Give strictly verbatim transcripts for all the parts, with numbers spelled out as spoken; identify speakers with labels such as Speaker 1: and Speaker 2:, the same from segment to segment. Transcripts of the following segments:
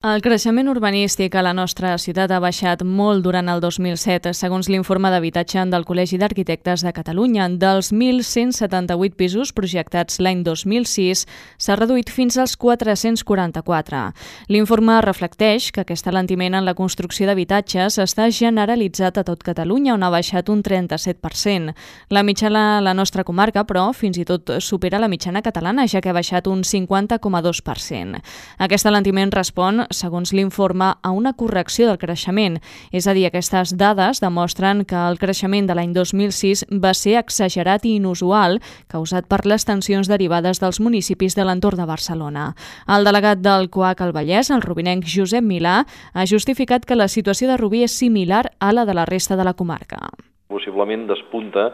Speaker 1: El creixement urbanístic a la nostra ciutat ha baixat molt durant el dos mil set, segons l'informe d'habitatge del Col·legi d'Arquitectes de Catalunya. Dels mil cent setanta-vuit pisos projectats l'any dos mil sis, s'ha reduït fins als quatre-cents quaranta-quatre. L'informe reflecteix que aquest alentiment en la construcció d'habitatges està generalitzat a tot Catalunya, on ha baixat un trenta-set per cent. La mitjana a la nostra comarca, però, fins i tot supera la mitjana catalana, ja que ha baixat un cinquanta coma dos per cent. Aquest alentiment respon, segons l'informe, a una correcció del creixement. És a dir, aquestes dades demostren que el creixement de l'any dos mil sis va ser exagerat i inusual, causat per les tensions derivades dels municipis de l'entorn de Barcelona. El delegat del C O A C al Vallès, el rubinenc Josep Milà, ha justificat que la situació de Rubí és similar a la de la resta de la comarca.
Speaker 2: Possiblement despunta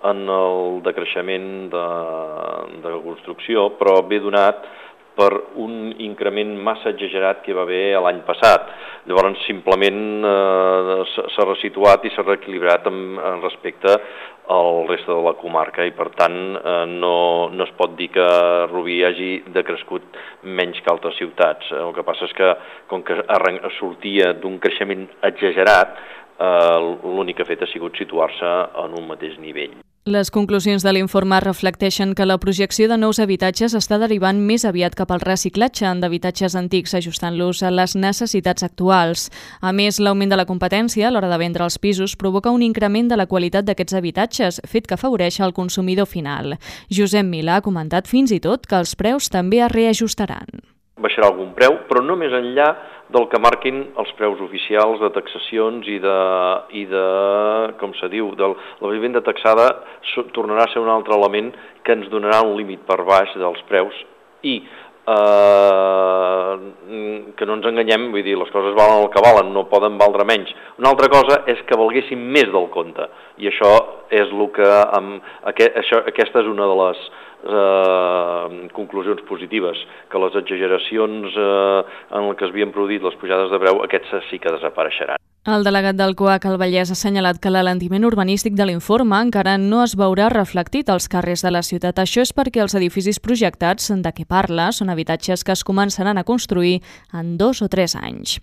Speaker 2: en el decreixement de, de la construcció, però ve donat per un increment massa exagerat que va haver l'any passat. Llavors, simplement eh, s'ha resituat i s'ha reequilibrat en, en respecte al reste de la comarca i, per tant, eh, no, no es pot dir que Rubí hagi decrescut menys que altres ciutats. El que passa és que, com que sortia d'un creixement exagerat, eh, l'únic que ha fet ha sigut situar-se en un mateix nivell.
Speaker 1: Les conclusions de l'informe reflecteixen que la projecció de nous habitatges està derivant més aviat cap al reciclatge d'habitatges antics, ajustant-los a les necessitats actuals. A més, l'augment de la competència a l'hora de vendre els pisos provoca un increment de la qualitat d'aquests habitatges, fet que afavoreix el consumidor final. Josep Milà ha comentat fins i tot que els preus també es reajustaran.
Speaker 2: Baixarà algun preu, però no més enllà del que marquin els preus oficials de taxacions i de, i de com se diu, de la vivenda taxada tornarà a ser un altre element que ens donarà un límit per baix dels preus i eh, que no ens enganyem, vull dir, les coses valen el que valen, no poden valdre menys. Una altra cosa és que valguessin més del compte i això és el que, amb, aquest, això, aquesta és una de les Eh, conclusions positives, que les exageracions eh, en què es havien produït les pujades de preu, aquests sí que desapareixeran.
Speaker 1: El delegat del C O A C al Vallès ha assenyalat que l'alentiment urbanístic de l'informe encara no es veurà reflectit als carrers de la ciutat. Això és perquè els edificis projectats de què parla són habitatges que es començaran a construir en dos o tres anys.